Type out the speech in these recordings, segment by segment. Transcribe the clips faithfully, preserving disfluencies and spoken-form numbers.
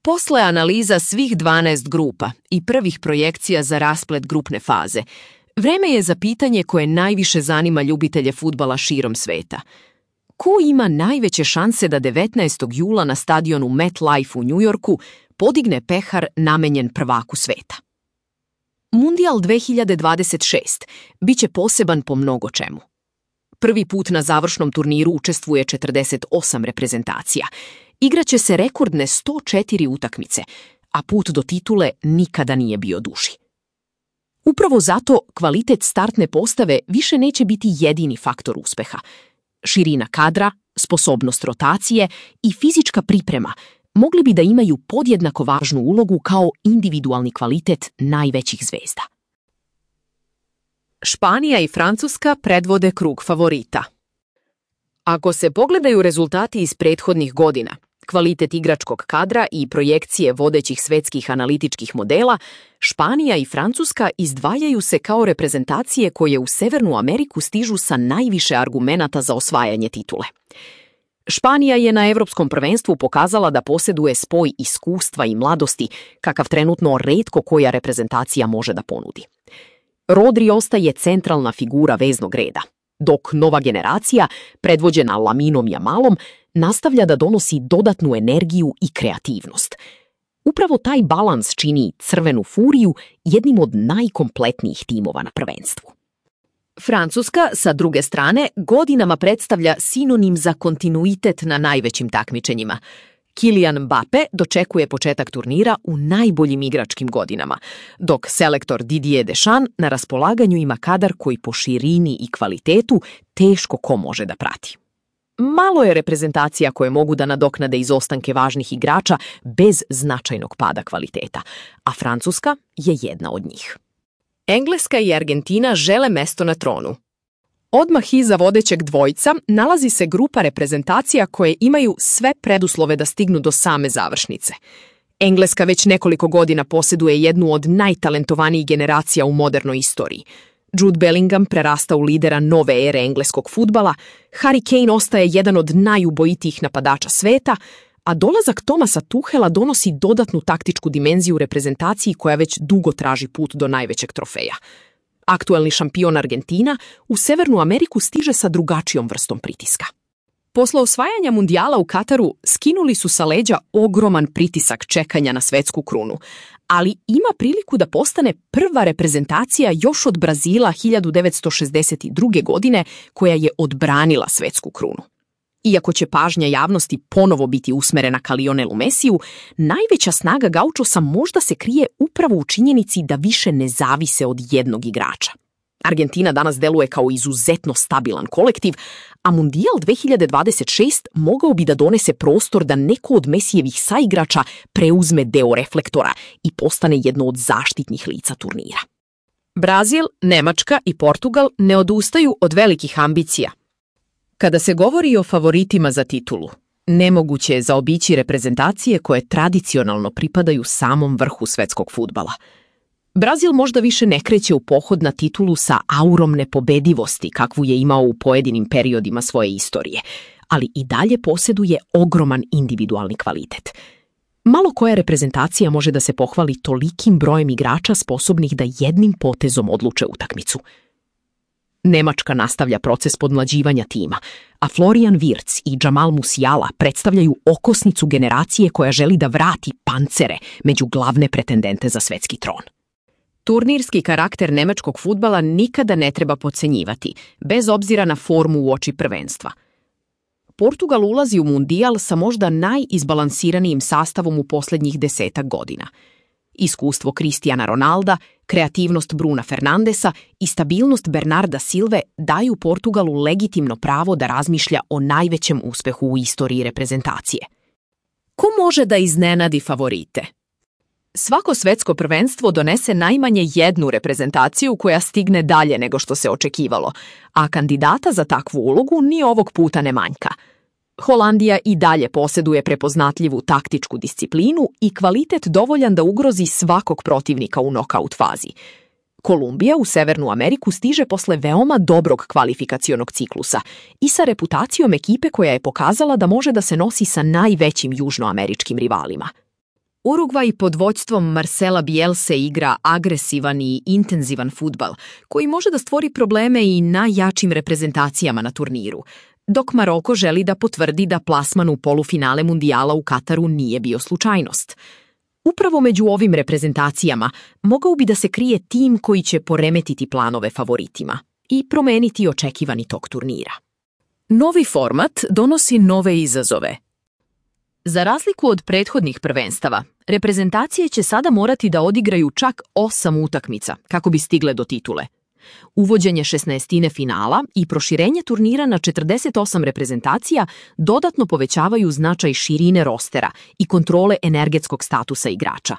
Posle analiza svih dvanaest grupa i prvih projekcija za rasplet grupne faze, vreme je za pitanje koje najviše zanima ljubitelje fudbala širom sveta. Ko ima najveće šanse da devetnaestog jula na stadionu MetLife u Njujorku podigne pehar namenjen prvaku sveta? Mundijal dve hiljade dvadeset šest biće poseban po mnogo čemu. Prvi put na završnom turniru učestvuje četrdeset osam reprezentacija. Igraće se rekordne sto četiri utakmice, a put do titule nikada nije bio duži. Upravo zato kvalitet startne postave više neće biti jedini faktor uspeha. Širina kadra, sposobnost rotacije i fizička priprema mogli bi da imaju podjednako važnu ulogu kao individualni kvalitet najvećih zvezda. Španija i Francuska predvode krug favorita. Ako se pogledaju rezultati iz prethodnih godina, kvalitet igračkog kadra i projekcije vodećih svetskih analitičkih modela, Španija i Francuska izdvajaju se kao reprezentacije koje u Severnu Ameriku stižu sa najviše argumenata za osvajanje titule. Španija je na Evropskom prvenstvu pokazala da posjeduje spoj iskustva i mladosti, kakav trenutno retko koja reprezentacija može da ponudi. Rodri ostaje centralna figura veznog reda, dok nova generacija, predvođena Laminom Yamalom, nastavlja da donosi dodatnu energiju i kreativnost. Upravo taj balans čini Crvenu furiju jednim od najkompletnijih timova na prvenstvu. Francuska, sa druge strane, godinama predstavlja sinonim za kontinuitet na najvećim takmičenjima. Kylian Mbappé dočekuje početak turnira u najboljim igračkim godinama, dok selektor Didier Deschamps na raspolaganju ima kadar koji po širini i kvalitetu teško ko može da prati. Malo je reprezentacija koje mogu da nadoknade izostanke važnih igrača bez značajnog pada kvaliteta, a Francuska je jedna od njih. Engleska i Argentina žele mesto na tronu. Odmah iza vodećeg dvojca nalazi se grupa reprezentacija koje imaju sve preduslove da stignu do same završnice. Engleska već nekoliko godina posjeduje jednu od najtalentovanijih generacija u modernoj istoriji. Jude Bellingham prerasta u lidera nove ere engleskog fudbala, Harry Kane ostaje jedan od najubojitijih napadača sveta, a dolazak Thomasa Tuchela donosi dodatnu taktičku dimenziju reprezentaciji koja već dugo traži put do najvećeg trofeja. Aktuelni šampion Argentina u Severnu Ameriku stiže sa drugačijom vrstom pritiska. Posle osvajanja mundijala u Kataru skinuli su sa leđa ogroman pritisak čekanja na svetsku krunu, ali ima priliku da postane prva reprezentacija još od Brazila hiljadu devetsto šezdeset druge. godine koja je odbranila svetsku krunu. Iako će pažnja javnosti ponovo biti usmerena ka Lionelu Mesiju, najveća snaga Gaučosa možda se krije upravo u činjenici da više ne zavise od jednog igrača. Argentina danas deluje kao izuzetno stabilan kolektiv, a Mundijal dve hiljade dvadeset šest mogao bi da donese prostor da neko od Mesijevih saigrača preuzme deo reflektora i postane jedno od zaštitnih lica turnira. Brazil, Nemačka i Portugal ne odustaju od velikih ambicija. Kada se govori o favoritima za titulu, nemoguće je zaobići reprezentacije koje tradicionalno pripadaju samom vrhu svetskog fudbala. Brazil možda više ne kreće u pohod na titulu sa aurom nepobedivosti kakvu je imao u pojedinim periodima svoje istorije, ali i dalje posjeduje ogroman individualni kvalitet. Malo koja reprezentacija može da se pohvali tolikim brojem igrača sposobnih da jednim potezom odluče utakmicu. Nemačka nastavlja proces podmlađivanja tima, a Florian Wirtz i Jamal Musiala predstavljaju okosnicu generacije koja želi da vrati pancere među glavne pretendente za svetski tron. Turnirski karakter nemačkog fudbala nikada ne treba podcenjivati, bez obzira na formu uoči prvenstva. Portugal ulazi u mundijal sa možda najizbalansiranijim sastavom u posljednjih desetak godina. Iskustvo Cristiana Ronalda, kreativnost Bruna Fernandesa i stabilnost Bernarda Silve daju Portugalu legitimno pravo da razmišlja o najvećem uspehu u istoriji reprezentacije. Ko može da iznenadi favorite? Svako svetsko prvenstvo donese najmanje jednu reprezentaciju koja stigne dalje nego što se očekivalo, a kandidata za takvu ulogu ni ovog puta ne manjka. Holandija i dalje posjeduje prepoznatljivu taktičku disciplinu i kvalitet dovoljan da ugrozi svakog protivnika u nokaut fazi. Kolumbija u Severnu Ameriku stiže posle veoma dobrog kvalifikacionog ciklusa i sa reputacijom ekipe koja je pokazala da može da se nosi sa najvećim južnoameričkim rivalima. Urugvaj pod vođstvom Marcela Bielse igra agresivan i intenzivan fudbal, koji može da stvori probleme i najjačim reprezentacijama na turniru, dok Maroko želi da potvrdi da plasman u polufinale mundijala u Kataru nije bio slučajnost. Upravo među ovim reprezentacijama mogao bi da se krije tim koji će poremetiti planove favoritima i promeniti očekivani tok turnira. Novi format donosi nove izazove. Za razliku od prethodnih prvenstava, reprezentacije će sada morati da odigraju čak osam utakmica kako bi stigle do titule. Uvođenje šesnaestine finala i proširenje turnira na četrdeset osam reprezentacija dodatno povećavaju značaj širine rostera i kontrole energetskog statusa igrača.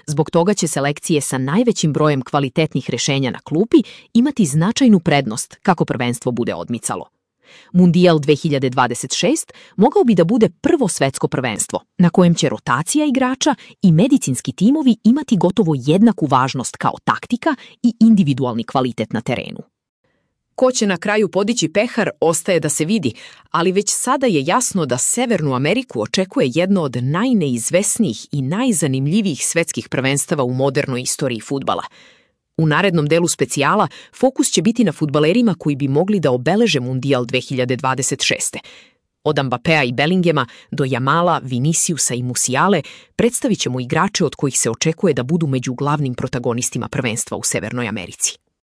Zbog toga će selekcije sa najvećim brojem kvalitetnih rešenja na klupi imati značajnu prednost kako prvenstvo bude odmicalo. Mundijal dve hiljade dvadeset šest mogao bi da bude prvo svetsko prvenstvo, na kojem će rotacija igrača i medicinski timovi imati gotovo jednaku važnost kao taktika i individualni kvalitet na terenu. Ko će na kraju podići pehar ostaje da se vidi, ali već sada je jasno da Severnu Ameriku očekuje jedno od najneizvesnijih i najzanimljivijih svetskih prvenstava u modernoj istoriji fudbala. U narednom delu specijala fokus će biti na fudbalerima koji bi mogli da obeleže Mundijal dve hiljade dvadeset šeste. Od Mbappea i Bellingema do Jamala, Viniciusa i Musiale predstavit ćemo igrače od kojih se očekuje da budu među glavnim protagonistima prvenstva u Severnoj Americi.